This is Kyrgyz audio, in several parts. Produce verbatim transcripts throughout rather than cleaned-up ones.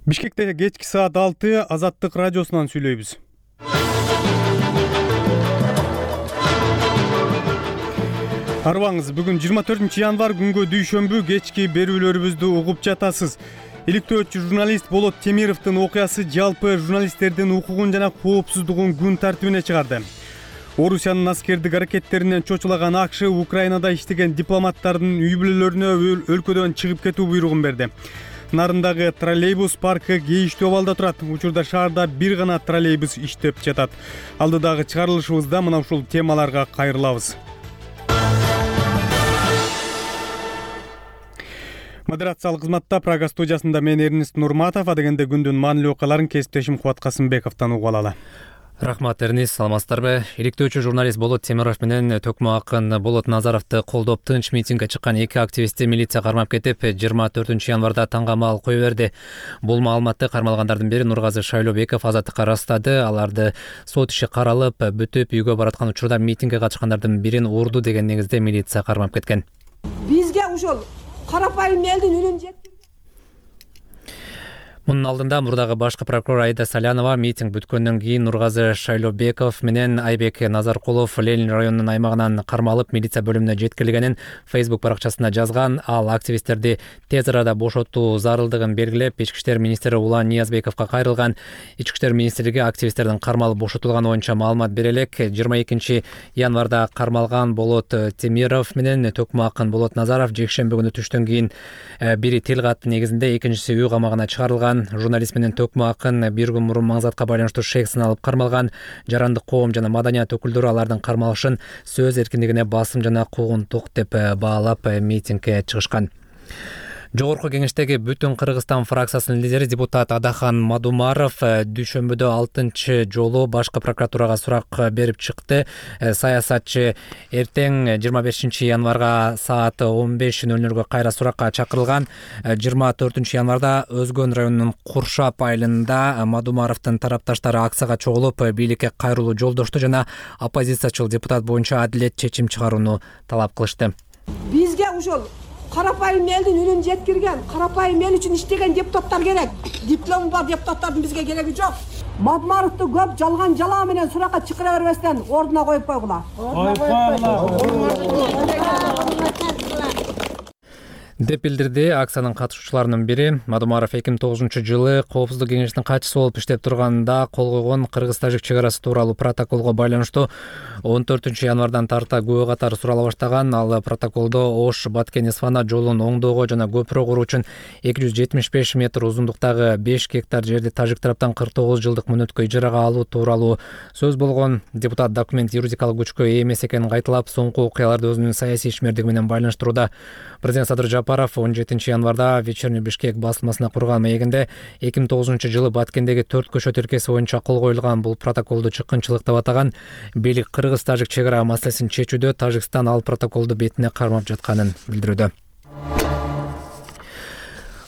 Бишкекте кечки саат алты Азаттык радиосунан сүйлөйбүз. Арбаңыз, бүгүн жыйырма төртүнчү январ күнгө дүйшөмбү кечки берүүлөрүбүздү угуп жатасыз. Иликтөөчү журналист Болот Темировдун окуясы жалпы журналисттердин укугун жана коопсуздугун күн тартибине чыгарды. Орусиянын аскердик аракеттеринен чочулаган АКШ Украинада иштеген дипломаттардын үй бүлөлөрүнө өлкөдөн чыгып кетүү буйругун берди. Нарындагы троллейбус паркы кейиштүү абалда турат. Учурда шаарда бир гана троллейбус иштеп жатат. Алдыдагы чыгарылышыбызда мына ушул темаларга кайрылабыз. Модерациялык кызматта Прага студиясында мен Эрнест Нурматов, адегенде күндүн маанилүү окуяларын кесиптешим Кубат Касымбековдон угуп алалы. Рахмат, Эрнест, саламатсыздарбы? Иликтөөчү журналист Болот Темиров менен төкмө акын Болот Назаровду колдоп тынч митингге чыккан эки активистти милиция кармап кетип, жыйырма төртүнчү январда таңгамал кое берди. Бул маалыматты кармалгандардын бири Нургазы Шайлообеков Азаттыкка ырастады. Аларды сот иши каралып, бүтүп үйгө бараткан учурда митингге катышкандардын бирин урду деген негизде милиция кармап кеткен. Бизге ушул карапайым элдин үнүн жеткирген. Мунун алдында мурдагы башкы прокурор Айда Салянова митинг бүткөндөн кийин Нургазы Шайлообеков менен Айбек Назаркулов Ленин районунун аймагынан кармалып милиция бөлүмүнө жеткирилгенин Facebook баракчасында жазган. Ал активисттерди тез арада бошотуу зарылдыгын белгилеп, Ички иштер министри Улан Ниязбековго кайрылган. Ички иштер министрлиги активисттердин кармалып бошотулганы боюнча маалымат бере элек. жыйырма экинчи январда кармалган Болот Темиров менен төкмө акын Болот Назаров жекшемби күнү түштөн кийин бири тил катты негизинде, экинчиси үй камагына чыгарылган. Журналист менен төкмө акын бир күн мурун маңзатка байланыштуу шек сыналып кармалган. Жарандык коом жана маданият өкүлдөрү алардын кармалышын сөз эркиндигине басым жана куугунтук деп баалап митингге чыгышкан. Жогорку кеңештеги Бүтүн Кыргызстан фракциясынын лидери депутат Адахан Мадумаров дүйшөмбүдө алтынчы жолу башкы прокуратурага сурак берип чыкты. Саясатчы эртең жыйырма бешинчи январга саат он беш ноль нольго кайра суракка чакырылган. жыйырма төртүнчү январда Өзгөн районунун Куршап айылында Мадумаровдун тарапташтары акцияга чогулуп, бийликке кайрылуу жолдошту жана оппозициячыл депутат боюнча адилет чечим чыгарууну талап кылышты. Бизге ушул карапайым элдин үнүн жеткирген, карапайым эл үчүн иштеген депутаттар керек. Диплому бар депутаттардын бизге кереги жок. Мадумаровду көп жалган жалаа менен суракка чакыра бербестен ордуна коюп койгула. деп билдирди акциянын катышуучуларынын бири. Мадумаров эки миң тогузунчу жылы Коопсуздук кеңешинин катчысы болуп иштеп турганда кол койгон кыргыз-тажик чек арасы тууралуу протоколго байланыштуу он төртүнчү январдан тарта күбө катары сурала баштаган. Ал протоколдо Ош Баткен-Исфана жолун оңдоого жана көпүрө куруу үчүн эки жүз жетимиш беш метр узундуктагы беш гектар жерди тажик тараптан кырк тогуз жылдык мөөнөткө ижарага алуу тууралуу сөз болгон. Депутат документ юридикалык күчкө ээ эмес экенин кайталап, соңку окуяларды өзүнүн саясий ишмердиги менен байланыштырууда. Президент Садыр Жапаров он жетинчи январда Вечерний Бишкек басылмасына курган маегинде эки миң тогузунчу жылы Баткендеги төрт көчө тилкеси боюнча кол коюлган бул протоколду чыккынчылык деп атаган. Бийлик кыргыз-тажик чек ара маселесин чечүүдө Тажикстан ал протоколду бетине кармап жатканын билдирүүдө.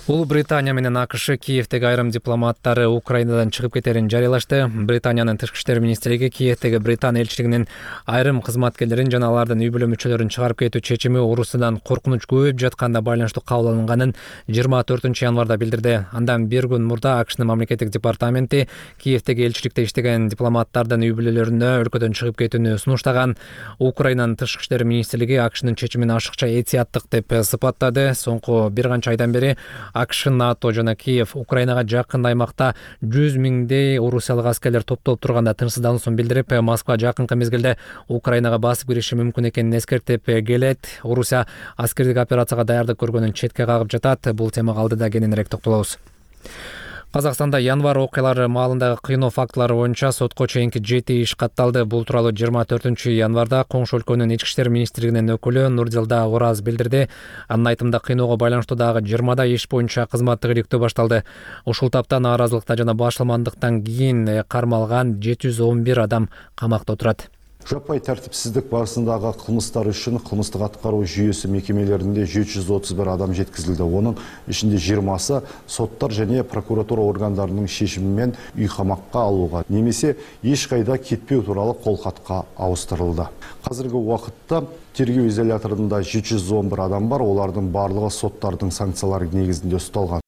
Улуу Британия менен АКШ Киевдеги айрым дипломаттары Украинадан чыгып кетерин жарыялашты. Британиянын тышкы иштер министрлиги Киевдеги Британ элчилигинин айрым кызматкерлерин жана алардын үй бүлө мүчөлөрүн чыгарып кетүү чечими Орусиядан коркунуч көбөйүп жатканда байланыштуу кабыл алынганын жыйырма төртүнчү январда билдирди. Андан бир күн мурда АКШнын мамлекеттик департаменти Киевдеги элчиликте иштеген дипломаттардын үй бүлөлөрүнө өлкөдөн чыгып кетүүнү сунуштаган. Украинанын тышкы иштер министрлиги АКШнын чечимин ашыкча этияттык деп сыпаттады. Соңку бир канча айдан бери АКШ, НАТО жана Киев Украинага жакын аймакта жүз миңдей орусиялык аскерлер топтолуп турганда тынчсыздануусун билдирип, Москва жакынкы мезгилде Украинага басып кириши мүмкүн экенин эскертип келет. Орусия аскердик операцияга даярдык көргөнүн четке кагып жатат. Бул темага алдыда кененирээк токтолобуз. Казакстанда январ окуялары маалындагы кыйноо фактылары боюнча сотко чейинки жети иш катталды. Бул тууралуу жыйырма төртүнчү январда коңшу өлкөнүн ички иштер министрлигинин өкүлү Нурдилда Ораз билдирди. Анын айтымында кыйноого байланыштуу дагы жыйырмада иш боюнча кызматтык иликтөө башталды. Ушул тапта нааразылыкта жана башаламандыктан кийин кармалган жети жүз он бир адам камакта отурат. Жаппай тәртіпсіздік барысындағы қылмыстар үшін қылмыстық атқару жүйесі мекемелерінде жеті жүз отуз бир адам жеткізілді. Оның ішінде жиырмасы соттар және прокуратура органдарының шешімімен үй қамаққа алуға немесе ешқайда кетпеу туралы қолхатқа ауыстырылды. Қазіргі уақытта тергеу изоляторында жеті жүз он бир адам бар, олардың барлығы соттардың санкциялары негізінде ұсталған.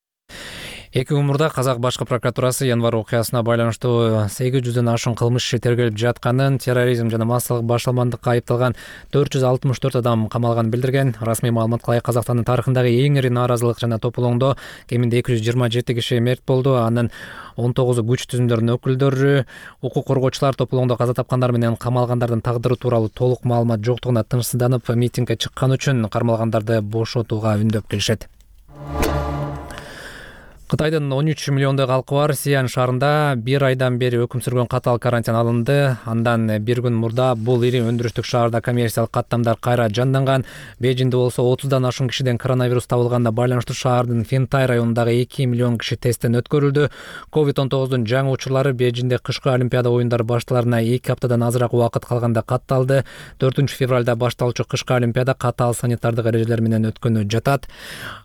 Эки күн мурда Казак башкы прокуратурасы январь окуясына байланыштуу сегиз жүздөн ашуун кылмыш иши тергелип жатканын, терроризм жана массалык башаламандыкка айыпталган төрт жүз алтымыш төрт адам камалганын билдирген. Расмий маалыматка ылайык Казакстандын тарыхындагы эң ири нааразылык жана тополоңдо кеминде эки жүз жыйырма жети киши мерт болду. Анын он тогузу күч түзүмдөрүнүн өкүлдөрү, укук коргоочулар тополоңдо каза тапкандар менен камалгандардын тагдыры тууралуу толук маалымат жоктугуна тынчсызданып, митингге чыккан үчүн кармалгандарды бошотууга үндөп келишет. Кытайдын он үч миллиондой калкы бар Сиан шаарында бир айдан бери өкүм сүргөн катаал карантин алынды. Андан бир күн мурда бул ири өндүрүштүк шаарда коммерциялык каттамдар кайра жанданган. Бейжиңде болсо отуздан ашуун кишиден коронавирус табылганына байланыштуу шаардын Фентай районундагы эки миллион киши тесттен өткөрүлдү. ковид он тогуздун жаңы учурлары Бейжиңде кышкы Олимпиада оюндары башталарына эки аптадан азыраак убакыт калганда катталды. төртүнчү февралда башталуучу кышкы Олимпиада катаал санитардык эрежелер менен өткөнү жатат.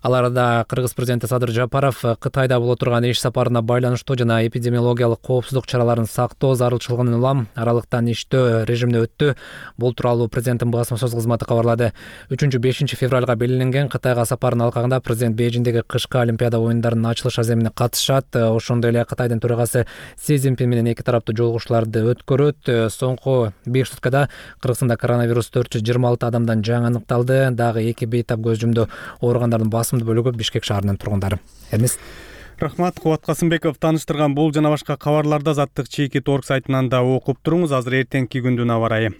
Аларда Кыргыз президенти Садыр Жапаров Кытайда боло турган иш сапарына байланыштуу жана эпидемиологиялык коопсуздук чараларын сактоо зарылчылыгын улам аралыктан иштөө режимине өттү. Бул тууралуу президенттин басма сөз кызматы кабарлады. үчүнчү бешинчи февралга белгиленген Кытайга сапарынын алкагында президент Бейжиңдеги кышкы Олимпиада оюндарынын ачылыш аземине катышат. Ошондой эле Кытайдын төрагасы Си Цзиньпин менен эки тараптуу жолугушууларды өткөрөт. Соңку беш суткада Кыргызстанда коронавирус төрт жүз жыйырма алты адамдан жаңы аныкталды. Дагы эки бейтап көз жумду. Ооругандардын басымдуу бөлүгү Бишкек шаарынын тургундары. Эрнест. Рахмат, Кубат Касымбеков таныштырган бул жана башка кабарларды Азаттык чеки торг сайтынан да окуп туруңуз. Азыр эртеңки күндүн аба ырайы.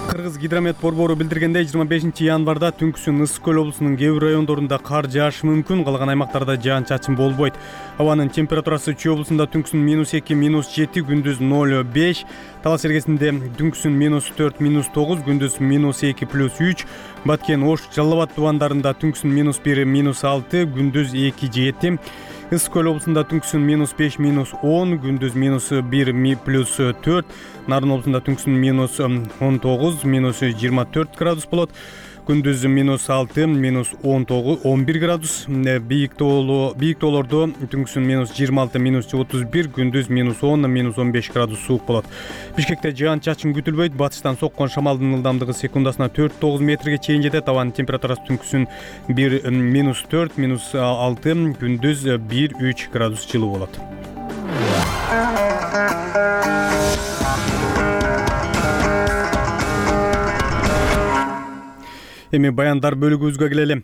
Кыргыз гидромет борбору билдиргендей, жыйырма бешинчи январда түнкүсүн Ысык көл облусунун кээ бир райондорунда кар жаашы мүмкүн, калган аймактарда жаан-чачын болбойт. Абанын температурасы Чүй облусунда түнкүсүн минус эки, минус жети, күндүз ноль беш, Талас эргесинде түнкүсүн минус төрт, минус тогуз, күндүз минус эки, плюс үч, Баткен, Ош, Жалал Абад тубандарында түнкүсүн минус бир, минус алты, күндүз эки, жети, Ысык көл облусунда түнкүсүн минус беш, минус он, күндүз минус бир, плюс төрт, Нарын облусунда түнкүсүн минус он тогуз, минус жыйырма төрт градус болот. Күндүз минус алты, минус он тогуз, он бир градус. Бийик тоолордо түнкүсүн минус жыйырма алты, минус отуз бир, күндүз минус он, минус он беш градус суук болот. Бишкекте жаан-чачын күтүлбөйт. Батыштан соккон шамалдын ылдамдыгы секундасына төрт тогуз метрге чейин жетет. Абанын температурасы түнкүсүн бир, минус төрт, минус алты, күндүз бир, үч градус жылуу болот. Эми баяндар бөлүгүбүзгө келели.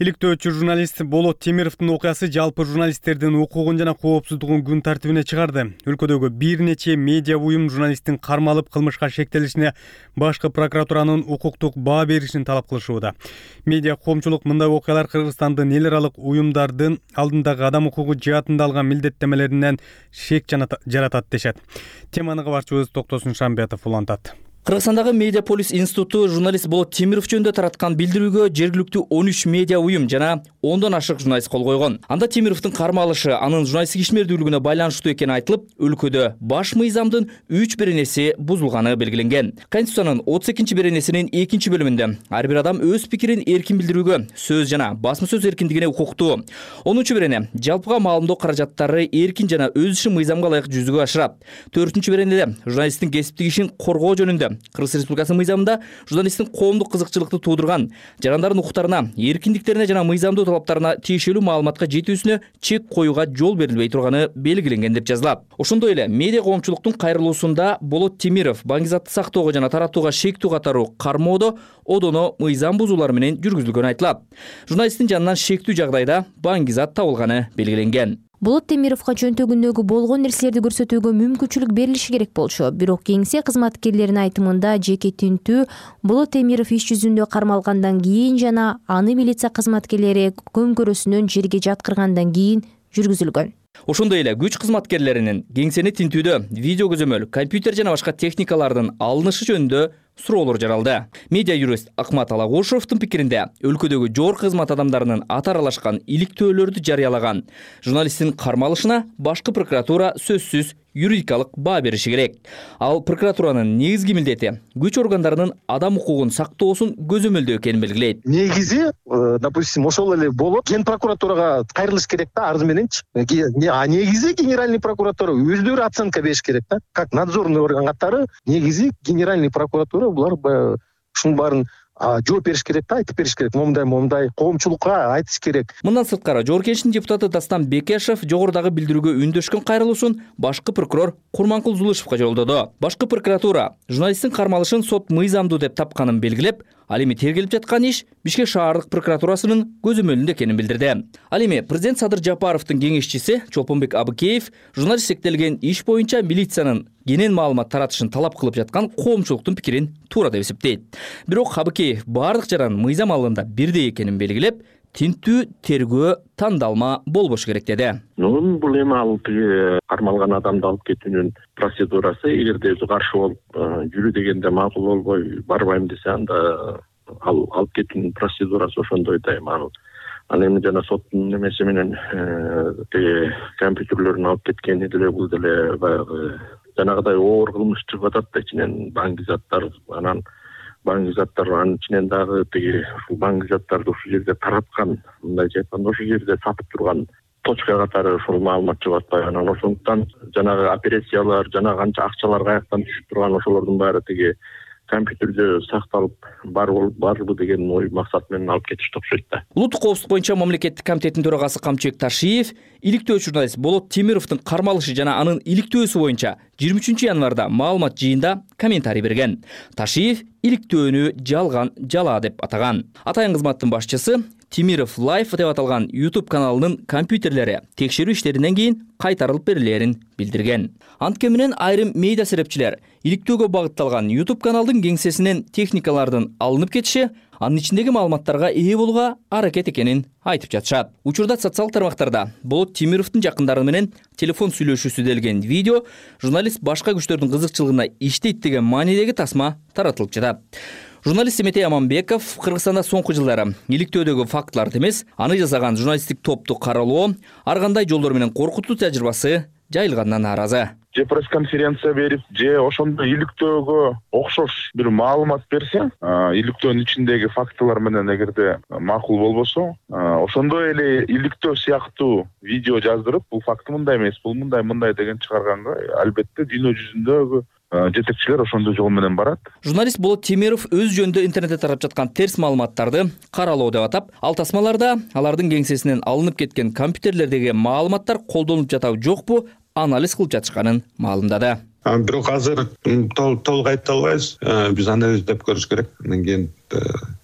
Иликтөөчү журналист Болот Темировдун окуясы жалпы журналисттердин укугун жана коопсуздугун күн тартибине чыгарды. Өлкөдөгү бир нече медиа уюм журналисттин кармалып кылмышка шектелишине башкы прокуратуранын укуктук баа беришин талап кылышууда. Медиа коомчулук мындай окуялар Кыргызстандын эл аралык уюмдардын алдындагы адам укугу жаатында алган милдеттемелеринен шек жаратат дешет. Теманы кабарчыбыз Токтосун Шамбетов улантат. Кыргызстандагы Медиаполис институту журналист Болот Темиров жөнүндө тараткан билдирүүгө жергиликтүү он үч медиа уюм жана ондон ашык журналист кол койгон. Анда Темировдун кармалышы анын журналисттик ишмердүүлүгүнө байланыштуу экени айтылып, өлкөдө баш мыйзамдын үч беренеси бузулганы белгиленген. Конституциянын отуз экинчи беренесинин экинчи бөлүмүндө ар бир адам өз пикирин эркин билдирүүгө, сөз жана басма сөз эркиндигине укуктуу. онунчу берене жалпыга маалымдоо каражаттары эркин жана өз ишин мыйзамга ылайык жүзүгө ашырат. төртүнчү беренеде журналисттин кесиптик ишин коргоо жөнүндө Кыргыз Республикасынын мыйзамында журналисттин коомдук кызыкчылыкты туудурган, жарандардын укуктарына, эркиндиктерине жана мыйзамдуу талаптарына тиешелүү маалыматка жетүүсүнө чек коюуга жол берилбей турганы белгиленген деп жазылат. Ошондой эле медиа коомчулуктун кайрылуусунда Болот Темиров баңгизатты сактоого жана таратууга шектүү катаруу кармоодо одоно мыйзам бузуулар менен жүргүзүлгөнү айтылат. Журналисттин жанынан шектүү жагдайда баңгизат табылганы белгиленген. Болот Темировго чөнтөгүндөгү болгон нерселерди көрсөтүүгө мүмкүнчүлүк берилиши керек болчу. Бирок кеңсе кызматкерлеринин айтымында жеке тинтүү Болот Темиров иш жүзүндө кармалгандан кийин жана аны милиция кызматкерлери көмкөрөсүнөн жерге жаткыргандан кийин жүргүзүлгөн. Ошондой эле күч кызматкерлеринин кеңсени тинтүүдө видео көзөмөл, компьютер жана башка техникалардын алынышы жөнүндө суроолор жаралды. Медиа юрист Акмат Алагошевдун пикиринде, өлкөдөгү жогорку кызмат адамдарынын аты аралашкан иликтөөлөрдү жарыялаган журналисттин кармалышына башкы прокуратура сөзсүз юридикалык баа бериши керек. Ал прокуратуранын негизги милдети күч органдарынын адам укугун сактоосун көзөмөлдөө экенин белгилейт. Негизи, допустим, ошол эле болот, ген прокуратурага кайрылыш керек да, арыз мененчи. А негизи генеральный прокуратура өздөрү оценка бериш керек да. Как надзорный орган катары негизи генеральный прокуратура булар ушунун баарын жооп бериш керек да, айтып бериш керек, момундай момундай коомчулукка айтыш керек. Мындан сырткары Жогорку депутаты Дастан Бекешев жогорудагы билдирүүгө үндөшкөн кайрылуусун башкы прокурор Курманкул Зулышевго жолдоду. Башкы прокуратура журналисттин кармалышын сот мыйзамдуу деп тапканын белгилеп, ал эми тергелип жаткан иш Бишкек шаардык прокуратурасынын көзөмөлүндө экенин билдирди. Ал эми президент Садыр Жапаровдун кеңешчиси Чолпонбек Абыкеев журналист сектелген иш боюнча милициянын кенен маалымат таратышын талап кылып жаткан коомчулуктун пикирин туура деп эсептейт. Бирок Абыкеев бардык жаран мыйзам алганда бирдей экенин белгилеп, тинтүү, тергөө, тандалма болбошу керек деди. Ну, бул эми ал тиги кармалган адамды алып кетүүнүн процедурасы, эгерде өзү каршы болуп жүрү дегенде макул болбой барбайм десе, анда ал алып кетүүнүн процедурасы ошондой дайым. Ал ал эми жана соттун немеси менен тиги компьютерлөрүн алып кеткени деле бул деле баягы жанагыдай оор кылмыш чыгып атат да, ичинен банк заттар, анан банк заттар, анын ичинен дагы тиги ушул банк заттарды ушул жерде тараткан, мындайча айтканда ошол жерде сатып турган точка катары ушул маалымат чыгып атпайбы. Анан ошондуктан жанагы операциялар, жана канча акчалар каяктан түшүп турган ошолордун баары тиги компьютерде сакталып барбы деген ой максат менен алып кетишти окшойт да. Улуттук коопсуздук боюнча мамлекеттик комитеттин төрагасы Камчыбек Ташиев иликтөө журналист Болот Темировдун кармалышы жана анын иликтөөсү боюнча жыйырма үчүнчү январда маалымат жыйында комментарий берген. Ташиев иликтөөнү жалган, жала деп атаган. Атайын кызматтын башчысы Темиров Life деп аталган YouTube каналынын компьютерлери текшерүү иштеринен кийин кайтарылып берилерин билдирген. Антке менен айрым медиа серепчилер иликтөөгө багытталган YouTube каналдын кеңсесинен техникалардын алынып кетиши, анын ичиндеги маалыматтарга ээ болууга аракет экенин айтып жатышат. Учурда социалдык тармактарда Болот Темировдун жакындары менен телефон сүйлөшүүсү делген видео, журналист башка күчтөрдүн кызыкчылыгына иштейт деген маанидеги тасма таратылып жатат. Журналист Эметей Аманбеков Кыргызстанда соңку жылдары иликтөөдөгү фактыларды эмес, аны жасаган журналисттик топту каралоо, ар кандай жолдор менен коркутуу тажрыйбасы жайылгандан нааразы. Же пресс-конференция берип, же ошондой иликтөөгө окшош бир маалымат берсе, иликтөөнүн ичиндеги фактылар менен эгерде макул болбосо, ошондой эле иликтөө сыяктуу видео жаздырып, бул факты мындай эмес, бул мындай мындай деген чыгарганга албетте дүйнө жүзүндөгү жетекчилер ошондой жол менен барат. Журналист Болот Темиров өз жөнүндө интернетте тарап жаткан терс маалыматтарды каралоо деп атап, ал тасмаларда алардын кеңсесинен алынып кеткен компьютерлердеги маалыматтар колдонулуп жатабы жокпу анализ кылып жатышканын маалымдады. Бирок азыр толук айта албайбыз. Биз анализдеп көрүш керек. Андан кийин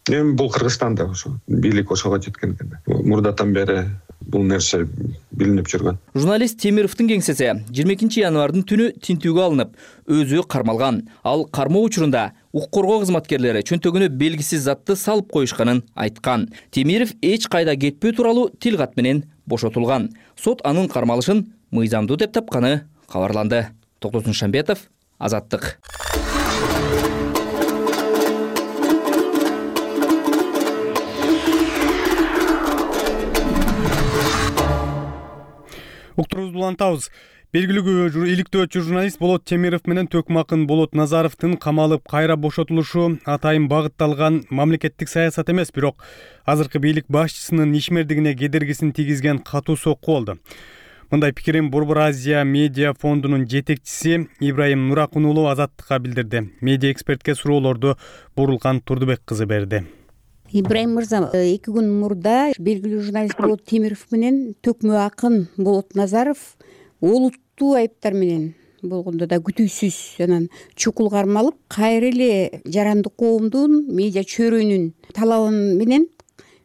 эми бул Кыргызстанда ошо бийлик ошого жеткен экен. Мурдатан бери бул нерсе билинип жүргөн. Журналист Темировдун кеңсеси жыйырма экинчи январдын түнү тинтүүгө алынып, өзү кармалган. Ал кармоо учурунда укук коргоо кызматкерлери чөнтөгүнө белгисиз затты салып коюшканын айткан. Темиров эч кайда кетпөө тууралуу тил кат менен бошотулган. Сот анын кармалышын мыйзамдуу деп тапканы кабарланды. Токтосун Шамбетов, Азаттык. Уктурубузду улантабыз. Белгилүү иликтөөчү журналист Болот Темиров менен Төкмакын Болот Назаровдун камалып кайра бошотулушу атайын багытталган мамлекеттик саясат эмес, бирок азыркы бийлик башчысынын ишмердигине кедергисин тийгизген катуу сокку болду. Мындай пикирин Борбор Азия медиа фондунун жетекчиси Ибрайым Нуракун уулу Азаттыкка билдирди. Медиа экспертке суроолорду Бурулкан Турдубек кызы берди. Ибрайым мырза, эки күн мурда белгилүү журналист Болот Темиров менен Төкмө акын Болот Назаров олуттуу айыптар менен болгондо да күтүүсүз анан чукул кармалып, кайра эле жарандык коомдун медиа чөйрөнүн талабы менен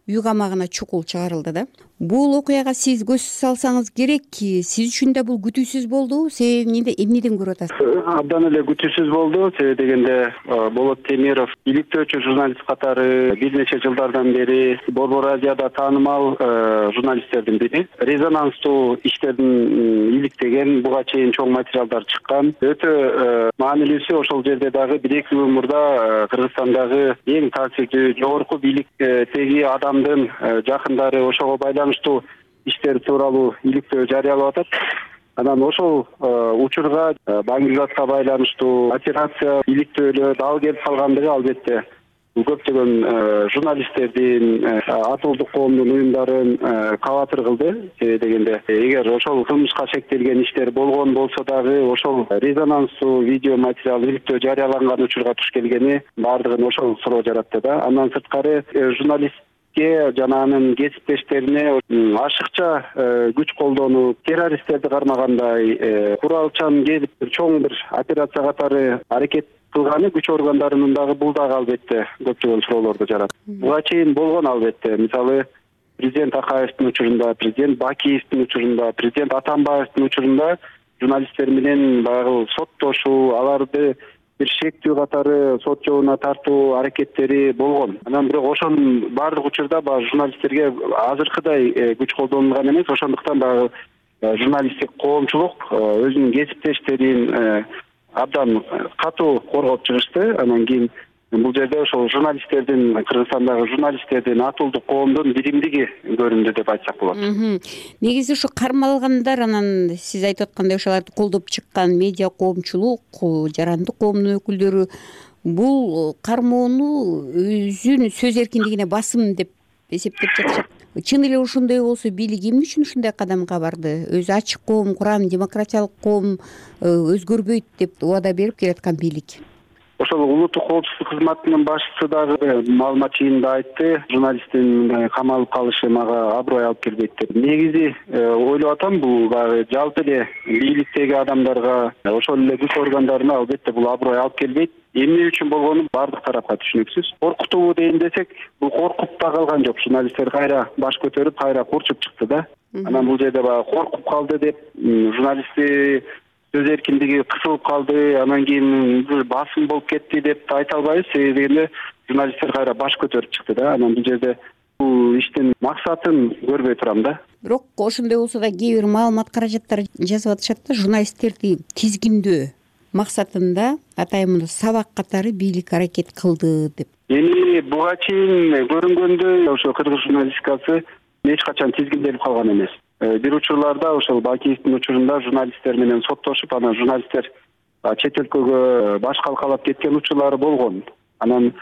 үй камагына чукул чыгарылды да. Бул окуяга сиз көз салсаңыз керек, сиз үчүн да бул күтүүсүз болду. Себеби эмнеден көрүп атасыз? Абдан эле күтүүсүз болду. Себеби дегенде Болот Темиров иликтөөчү журналист катары бир нече жылдардан бери Борбор Азияда таанымал журналисттердин бири. Резонанстуу иштердин иликтеген, буга чейин чоң материалдар чыккан. Өтө маанилүүсү ошол жерде дагы бир эки күн мурда Кыргызстандагы эң таасирдүү жогорку бийликтеги адамдын жакындары ошого байланыштуу иштер тууралуу иликтөө жарыялап атат. Анан ошол учурга Баңгизатка байланыштуу операция иликтөөлөр дал келип калгандыгы албетте бул көптөгөн журналисттердин, атуулдук коомдун уюмдарын кабатыр кылды. Себеби дегенде эгер ошол кылмышка шектелген иштер болгон болсо дагы ошол резонанстуу видео материал иликтөө жарыяланган учурга туш келгени баардыгын ошол суроо жаратты да. Андан сырткары журналистке жана анын кесиптештерине ашыкча күч колдонуп, террористтерди кармагандай куралчан келип чоң бир операция катары аракет кылганы күч органдарынын дагы бул дагы албетте көптөгөн суроолорду жаратты. Буга чейин болгон албетте. Мисалы президент Акаевдин учурунда, президент Бакиевдин учурунда, президент Атамбаевдин учурунда журналисттер менен баягы соттошуу, аларды бир шектүү катары сот жообуна тартуу аракеттери болгон. Анан бирок ошонун баардык учурда баягы журналисттерге азыркыдай күч колдонулган эмес. Ошондуктан баягы журналисттик коомчулук өзүнүн кесиптештерин абдан катуу коргоп чыгышты. Анан кийин бул жерде ошол журналисттердин, Кыргызстандагы журналисттердин, атуулдук коомдун биримдиги көрүндү деп айтсак болот. Негизи ушу кармалгандар, анан сиз айтып аткандай ошолорду колдоп чыккан медиа коомчулук, жарандык коомдун өкүлдөрү бул кармоону өзүнүн сөз эркиндигине басым деп эсептеп жатышат. Чын эле ошондой болсо бийлик эмне үчүн ушундай кадамга барды? Өзү ачык коом курам, демократиялык коом өзгөрбөйт деп убада берип келаткан бийлик. Ошол улуттук коопсуздук кызматынын башчысы дагы маалымат жыйынында айтты, журналисттин камалып калышы мага аброй алып келбейт деп. Негизи ойлоп атам, бул баягы жалпы эле бийликтеги адамдарга, ошол эле күч органдарына албетте бул аброй алып келбейт. Эмне үчүн болгону баардык тарапка түшүнүксүз. Коркутуу дейин десек, бул коркуп да калган жок. Журналисттер кайра баш көтөрүп, кайра курчуп чыкты да. Анан бул жерде баягы коркуп калды деп, журналисти сөз эркиндиги кысылып калды, анан кийин бир басым болуп кетти деп айта албайбыз. Себеби дегенде журналисттер кайра баш көтөрүп чыкты да. Анан бул жерде бул иштин максатын көрбөй турам да. Бирок ошондой болсо да кээ бир маалымат каражаттар жазып атышат да, журналисттерди тизгиндөө максатында атайын сабак катары бийлик аракет кылды деп. Эми буга чейин көрүнгөндөй ошо кыргыз журналистикасы эч качан тизгинделип калган эмес. Бир учурларда ошол Бакиевдин учурунда журналисттер менен соттошуп, анан журналисттер чет өлкөгө баш калкалап кеткен учурлары болгон. Анан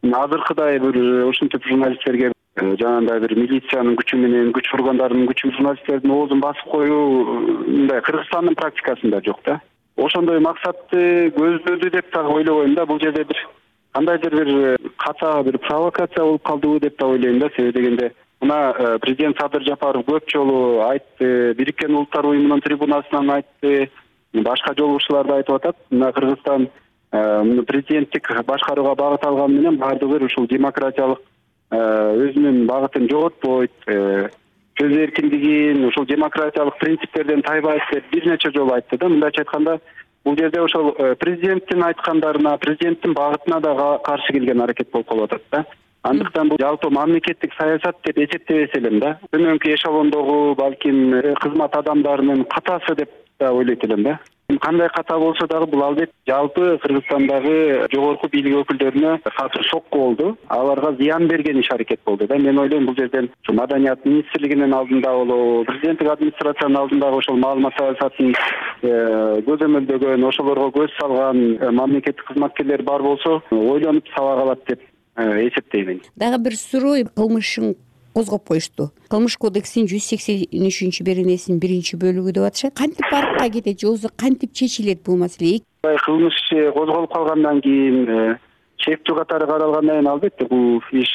азыркыдай бир ушинтип журналисттерге жанагындай бир милициянын күчү менен, күч органдарынын күчү журналисттердин оозун басып коюу мындай Кыргызстандын практикасында жок да. Ошондой максатты көздөдү деп дагы ойлобойм да. Бул жерде бир кандайдыр бир ката бир провокация болуп калдыбы деп да ойлойм да. Себеби дегенде мына президент Садыр Жапаров көп жолу айтты, Бириккен Улуттар уюмунун трибунасынан айтты, башка жолугушуулар да айтып атат. Мына Кыргызстан президенттик башкарууга багыт алган менен баардыгы ушул демократиялык өзүнүн багытын жоготпойт, сөз эркиндигин, ушул демократиялык принциптерден тайбайт деп бир нече жолу айтты да. Мындайча айтканда, бул жерде ошол президенттин айткандарына, президенттин багытына да каршы келген аракет болуп калып атат да. Андыктан бул жалпы мамлекеттик саясат деп эсептебес элем да. Төмөнкү эшелондогу балким кызмат адамдарынын катасы деп да ойлойт элем да. Кандай ката болсо дагы бул албетте жалпы Кыргызстандагы жогорку бийлик өкүлдөрүнө катуу сокку болду. Аларга зыян берген иш аракет болду да. Мен ойлойм, бул жерден Маданият министрлигинин алдында болобу, президенттик администрациянын алдындагы ошол маалымат саясатын көзөмөлдөгөн, ошолорго көз салган мамлекеттик кызматкерлер бар болсо, ойлонуп сабак алат деп эсептеймин. Дагы бир суроо, кылмышын козгоп коюшту. Кылмыш кодексинин жүз сексен үчүнчү беренесинин биринчи бөлүгү деп атышат. Кантип барыкка кетет, же өзү кантип чечилет бул маселе? Кылмыш козголуп калгандан кийин, чектүү катары каралгандан кийин албетте бул иш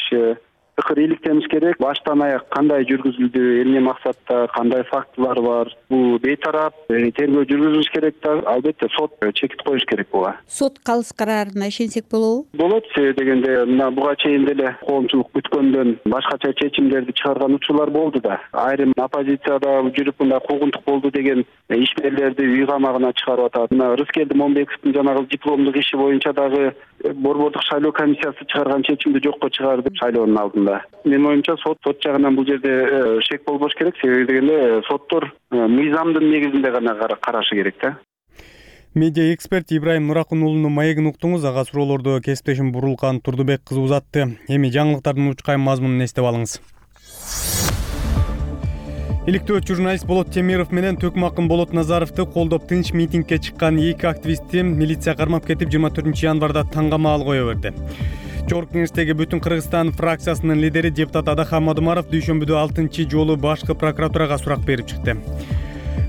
тыкыр иликтениш керек. Баштан аяк кандай жүргүзүлдү, эмне максатта, кандай фактылар бар, бул бейтарап тергөө жүргүзүлүш керек да. Албетте сот чекит коюш керек буга. Сот калыс карарына ишенсек болобу? Болот. Себеби дегенде мына буга чейин деле коомчулук күткөндөн башкача чечимдерди чыгарган учурлар болду да. Айрым оппозицияда жүрүп мындай куугунтук болду деген ишмерлерди үй камагына чыгарып атат. Мына Рыскелди Момбековдун жанагы дипломдук иши боюнча дагы борбордук шайлоо комиссиясы чыгарган чечимди жокко чыгарды шайлоонун алдында. Менин оюмча сот сот жагынан бул жерде шек болбош керек. Себеби дегенде соттор мыйзамдын негизинде гана карашы керек да. Медиа эксперт Ибрайым Нуракун уулунун маегин уктуңуз. Ага суроолорду кесиптешим Бурулкан Турдубек кызы узатты. Эми жаңылыктардын учкайым мазмунун эстеп алыңыз. Иликтөөчү журналист Болот Темиров менен Төкмакын Болот Назаровду колдоп тынч митингге чыккан эки активистти милиция кармап кетип жыйырма төртүнчү январда таң камаал кое берди. Жогорку Кеңештеги Бүтүн Кыргызстан фракциясынын лидери депутат Адахан Мадумаров дүйшөмбүдө алтынчы жолу башкы прокуратурага сурак берип чыкты.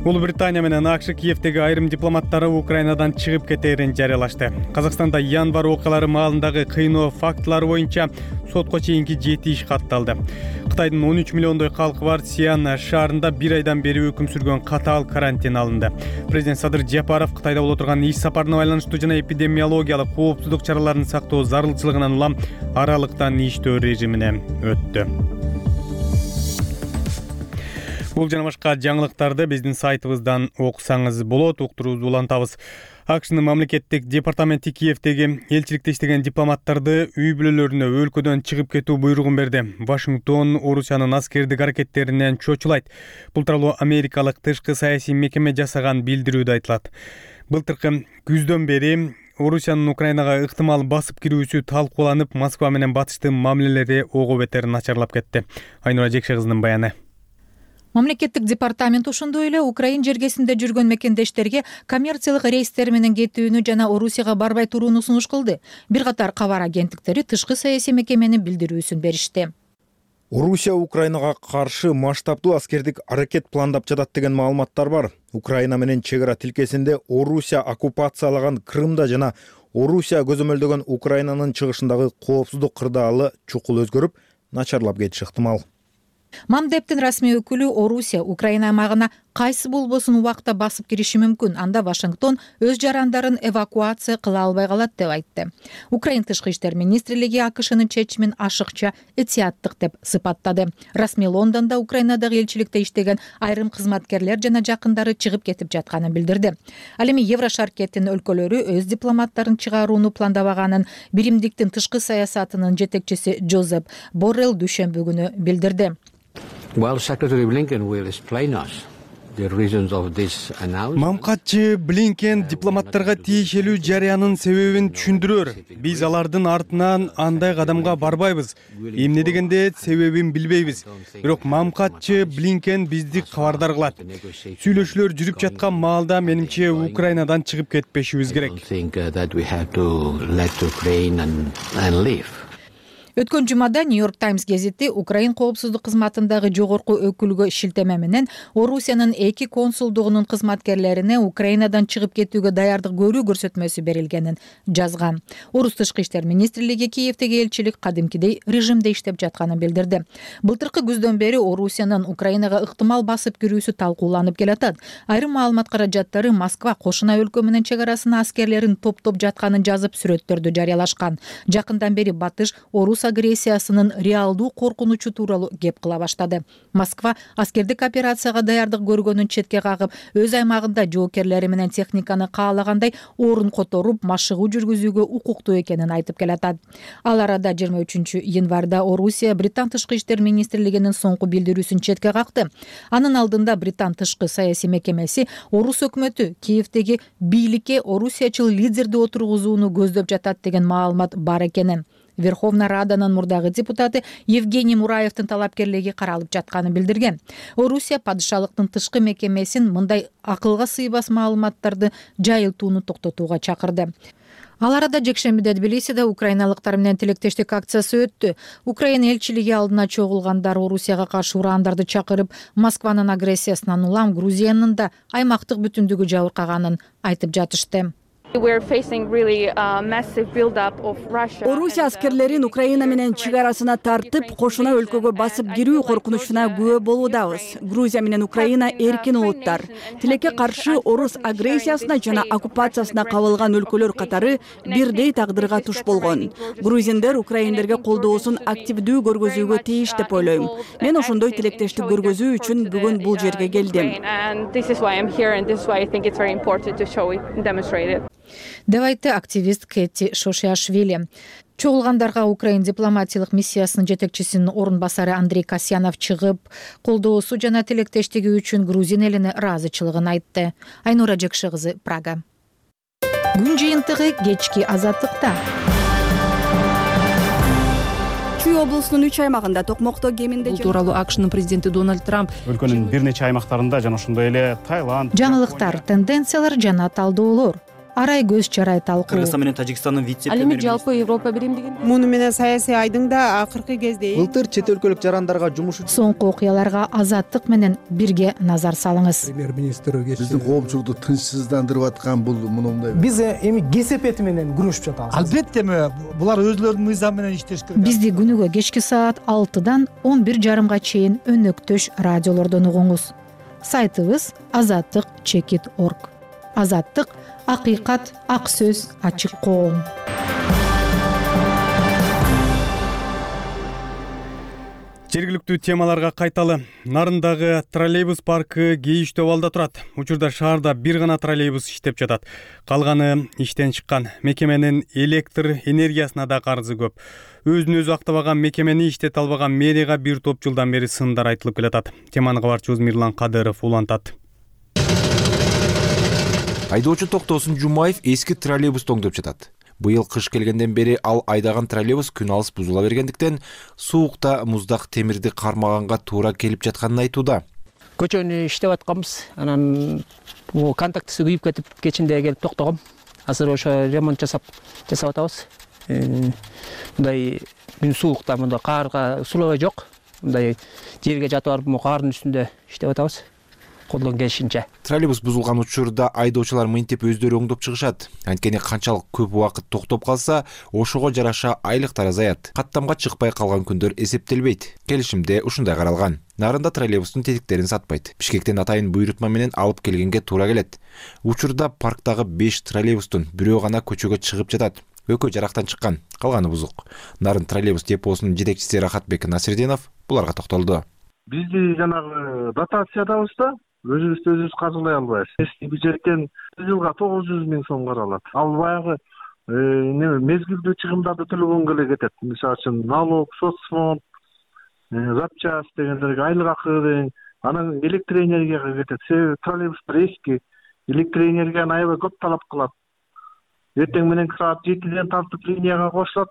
Улуу Британия менен АКШ Киевдеги айрым дипломаттары Украинадан чыгып кетээрин жарыялашты. Казакстанда январь окуялары маалындагы кыйноо фактылары боюнча сотко чейинки жети иш катталды. Кытайдын он үч миллиондой калкы бар Сиан шаарында бир айдан бери өкүм сүргөн катаал карантин алынды. Президент Садыр Жапаров Кытайда боло турган иш сапарына байланыштуу жана эпидемиологиялык коопсуздук чараларын сактоо зарылчылыгынан улам аралыктан иштөө режимине өттү. Бул жана башка жаңылыктарды биздин сайтыбыздан окусаңыз болот. Уктуруубузду улантабыз. АКШнын мамлекеттик департаменти Киевдеги элчиликте иштеген дипломаттарды үй бүлөлөрүнө өлкөдөн чыгып кетүү буйругун берди. Вашингтон Орусиянын аскердик аракеттеринен чочулайт. Бул тууралуу америкалык тышкы саясий мекеме жасаган билдирүүдө айтылат. Былтыркы күздөн бери Орусиянын Украинага ыктымал басып кирүүсү талкууланып, Москва менен батыштын мамилелери ого бетер начарлап кетти. Айнура Жекше кызынын баяны. Мамлекеттик департамент ошондой эле Украин жергесинде жүргөн мекендештерге коммерциялык рейстер менен кетүүнү жана Орусияга барбай турууну сунуш кылды. Бир катар кабар агенттиктери тышкы саясий мекеменин билдирүүсүн беришти. Орусия Украинага каршы масштабдуу аскердик аракет пландап жатат деген маалыматтар бар. Украина менен чек ара тилкесинде Орусия оккупациялаган Крымда жана Орусия көзөмөлдөгөн Украинанын чыгышындагы коопсуздук кырдаалы чукул өзгөрүп, начарлап кетиши ыктымал. Мамдептин расмий өкүлү Орусия Украина аймагына кайсы болбосун убакта басып кириши мүмкүн, анда Вашингтон өз жарандарын эвакуация кыла албай калат деп айтты. Украин тышкы иштер министрлиги АКШнын чечимин ашыкча этияттык деп сыпаттады. Расмий Лондондо Украинадагы элчиликте иштеген айрым кызматкерлер жана жакындары чыгып кетип жатканын билдирди. Ал эми Еврошаркеттин өлкөлөрү өз дипломаттарын чыгарууну пландабаганын биримдиктин тышкы саясатынын жетекчиси Джозеп Боррелл дүйшөмбү күнү билдирди. Well, Secretary Blinken will explain us the reasons of this announcement. Мамкатчы Блинкен дипломаттарга тиешелүү жарыянын себебин түшүндүрөр. Биз алардын артынан андай кадамга барбайбыз. Эмне дегенде себебин билбейбиз. Бирок Мамкатчы Блинкен бизди кабардар кылат. Сүйлөшүүлөр жүрүп жаткан маалда менимче Украинадан чыгып кетпешибиз керек. Өткөн жумада Нью-Йорк Таймс гезити Украин коопсуздук кызматындагы жогорку өкүлгө шилтеме менен Орусиянын эки консулдугунун кызматкерлерине Украинадан чыгып кетүүгө даярдык көрүү көрсөтмөсү берилгенин жазган. Орус тышкы иштер министрлиги Киевдеги элчилик кадимкидей режимде иштеп жатканын билдирди. Былтыркы күздөн бери Орусиянын Украинага ыктымал басып кирүүсү талкууланып келатат. Айрым маалымат каражаттары Москва кошуна өлкө менен чек арасына аскерлерин топтоп жатканын жазып сүрөттөрдү жарыялашкан. Жакындан бери батыш Орус агрессиясынын реалдуу коркунучу тууралуу кеп кыла баштады. Москва аскердик операцияга даярдык көргөнүн четке кагып, өз аймагында жоокерлери менен техниканы каалагандай орун которуп, машыгуу жүргүзүүгө укуктуу экенин айтып келатат. Ал арада жыйырма үчүнчү январда Орусия Британ тышкы иштер министрлигинин соңку билдирүүсүн четке какты. Анын алдында Британ тышкы саясий мекемеси Орус өкмөтү Киевдеги бийликке орусиячыл лидерди отургузууну көздөп жатат деген маалымат бар экенин. Верховная Раданын мурдагы депутаты Евгений Мураевдин талапкерлиги каралып жатканын билдирген. Орусия падышалыктын тышкы мекемесин мындай акылга сыйбас маалыматтарды жайылтууну токтотууга чакырды. Ал арада жекшембиде Тбилисиде украиналыктар менен тилектештик акциясы өттү. Украин элчилиги алдына чогулгандар Орусияга каршы урандарды чакырып, Москванын агрессиясынан улам Грузиянын да аймактык бүтүндүгү жабыркаганын айтып жатышты. Орусия аскерлерин Украина менен чек арасына тартып, кошуна өлкөгө басып кирүү коркунучуна күбө болуудабыз. Грузия менен Украина эркин улуттар. Тилекке каршы орус агрессиясына жана оккупациясына кабылган өлкөлөр катары бирдей тагдырга туш болгон. Грузиндер украиндерге колдоосун активдүү көргөзүүгө тийиш деп ойлойм. Мен ошондой тилектештик көргөзүү үчүн бүгүн бул жерге келдим. деп айтты активист Кэти Шошиашвили. Чогулгандарга Украин дипломатиялык миссиясынын жетекчисинин орун басары Андрей Касьянов чыгып, колдоосу жана тилектештиги үчүн Грузин элине ыраазычылыгын айтты. Айнура Жекше кызы, Прага. Күн жыйынтыгы кечки Азаттыкта. Чүй облусунун үч аймагында токмокто кеминде Бул тууралуу АКШнын президенти Дональд Трамп өлкөнүн бир нече аймактарында жана ошондой эле Таиланд. Жаңылыктар, тенденциялар жана талдоолор. арай көз чарай талкуу. Кыргызстан менен Тажикстандын вице ал эми жалпы Европа биримдигинде муну менен саясий айдыңда акыркы кезде былтыр чет өлкөлүк жарандарга жумуш Соңку окуяларга Азаттык менен бирге назар салыңыз. Премьер-министр биздин коомчулукту тынчсыздандырып аткан бул мындай. Биз эми кесепети менен күрөшүп жатабыз. Албетте булар өзлөрүнүн мыйзамы менен иштеш керек. Бизди күнүгө кечки саат алтыдан он бир жарымга чейин өнөктөш радиолордон угуңуз. Сайтыбыз азаттык чекит орг. Азаттык — акыйкат, ак сөз, ачык коом. Жергиликтүү темаларга кайталы. Нарындагы троллейбус паркы кейиштүү абалда турат. Учурда шаарда бир гана троллейбус иштеп жатат. Калганы иштен чыккан. Мекеменин электр энергиясына да карызы көп. Өзүн өзү актабаган мекемени иштете албаган мэрияга бир топ жылдан бери сындар айтылып келатат. Теманы кабарчыбыз Мирлан Кадыров улантат. Айдоочу Токтосун Жумаев эски троллейбусту оңдоп жатат. Быйыл кыш келгенден бери ал айдаган троллейбус күн алыс бузула бергендиктен суукта муздак темирди кармаганга туура келип жатканын айтууда. Көчөнү иштеп атканбыз. Анан бул контактысы күйүп кетип кечинде келип токтогом. Азыр ошо ремонт жасап жасап атабыз. Мындай күн суукта мында карга сулабай жок. Мындай жерге жатып барып кардын үстүндө иштеп атабыз. Колдон келишинче. Троллейбус бузулган учурда айдоочулар мынтип өздөрү оңдоп чыгышат. Анткени канчалык көп убакыт токтоп калса, ошого жараша айлыктар азаят. Каттамга чыкпай калган күндөр эсептелбейт. Келишимде ушундай каралган. Нарында троллейбустун тетиктерин сатпайт. Бишкектен атайын буйрутма менен алып келгенге туура келет. Учурда парктагы беш троллейбустун бирөө гана көчөгө чыгып жатат. Экөө жарактан чыккан, калганы бузук. Нарын троллейбус депосунун жетекчиси Рахатбек Насирдинов буларга токтолду. Бизди жанагы дотациядабыз да, өзүбүздү өзүбүз каржылай албайбыз. Эски бюджеттен жылга тогуз жүз миң сом каралат. Ал баягы мезгилдүү чыгымдарды төлөгөнгө эле кетет. Мисалы үчүн налог, соцфонд, запчасть дегендерге айлык акы деген, анан электр энергияга кетет. Себеби троллейбустар эски, электр энергияны аябай көп талап кылат. Эртең мененки саат жетиден тартып линияга кошулат,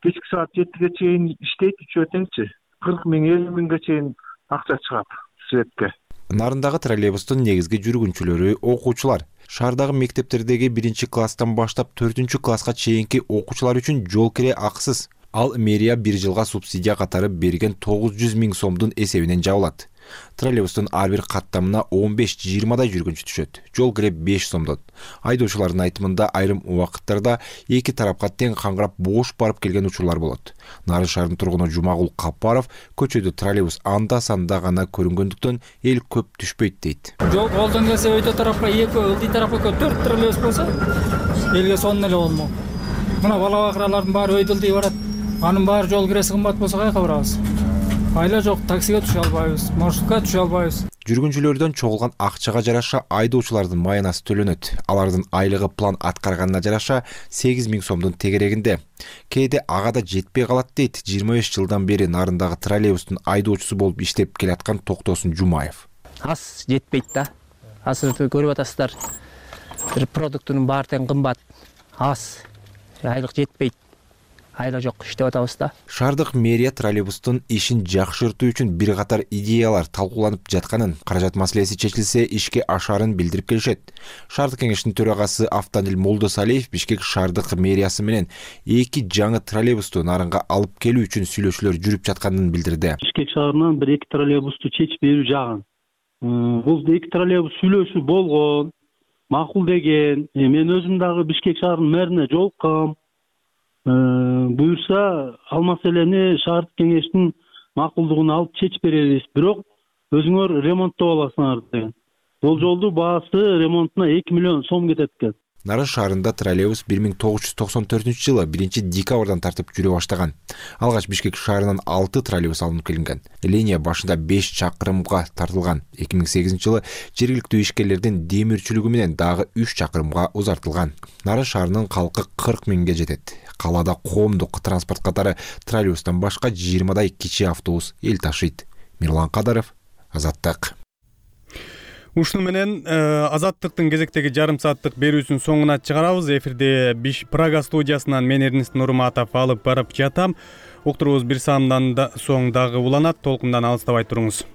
кечки саат жетиге чейин иштейт, үчөө теңчи. кырк миң, элүү миңге чейин акча чыгат светке. Нарындагы троллейбустун негизги жүргүнчүлөрү окуучулар. Шаардагы мектептердеги биринчи класстан баштап төртүнчү класска чейинки окуучулар үчүн жол кире акысыз. Ал мэрия бир жылга субсидия катары берген тогуз жүз миң сомдун эсебинен жабылат. Троллейбустун ар бир каттамына он беш жыйырмадай жүргүнчү түшөт. Жол кире беш сомдон. Айдоочулардын айтымында айрым убакыттарда эки тарапка тең каңгырап бош барып келген учурлар болот. Нарын шаарынын тургуну Жумагул Капаров көчөдө троллейбус анда-санда гана көрүнгөндүктөн эл көп түшпөйт дейт. Жол колдон келсе өйдө тарапка эки, ылдый тарапка төрт троллейбус болсо, элге сонун эле болмок. Мына бала бакыралардын баары өйдөлдүй барат. Анын баары жол киреси кымбат болсо кайка барабыз? Айла жок, таксиге түшө албайбыз, маршрутка түшө албайбыз. Жүргүнчүлөрдөн чогулган акчага жараша айдоочулардын маянасы төлөнөт. Алардын айлыгы план аткарганына жараша сегиз миң сомдун тегерегинде. Кээде ага да жетпей калат дейт жыйырма беш жылдан бери нарындагы троллейбустун айдоочусу болуп иштеп келаткан Токтосун Жумаев. Аз жетпейт да. Азыр көрүп атасыздар. Бир продуктунун баары тең кымбат. Аз. Айлык жетпейт. Айла жок, иштеп атабыз да. Шаардык мэрия троллейбустун ишин жакшыртуу үчүн бир катар идеялар талкууланып жатканын, каражат маселеси чечилсе ишке ашарын билдирип келишет. Шаардык кеңештин төрагасы Автандил Молдосалиев Бишкек шаардык мэриясы менен эки жаңы троллейбусту нарынга алып келүү үчүн сүйлөшүүлөр жүрүп жатканын билдирди. Бишкек шаарынан бир эки троллейбусту чечип берүү жагын. Бул эки троллейбус сүйлөшүү болгон, макул деген. Мен өзүм дагы Бишкек шаарынын мэрине жолуккам. Буюрса, ал маселени шаардык кеңештин макулдугуна алып чечип беребиз. Бирок өзүңөр ремонттоп аласыңар деген. Бул жолдун баасы ремонтуна эки миллион сом кетет экен. Нарын шаарында троллейбус бир миң тогуз жүз токсон төртүнчү жылы биринчи декабрдан тартып жүрө баштаган. Алгач Бишкек шаарынан алты троллейбус алынып келинген. Линия башында беш чакырымга тартылган. эки миң сегизинчи жылы жергиликтүү ишкерлердин демирчүлүгү менен дагы үч чакырымга узартылган. Нарын шаарынын калкы кырк миңге жетет. Калаада коомдук транспорт катары троллейбустан башка жыйырмадай кичи автобус эл ташыйт. Мирлан Кадыров, Азаттык. Ушуну менен Азаттыктын кезектеги жарым сааттык берүүсүнүн соңуна чыгарабыз. Эфирде Биш Прага студиясынан мен Эрнест Нурматов алып барып жатам. Уктурубуз бир саамдан соң дагы уланат. Толкундан алыстабай туруңуз.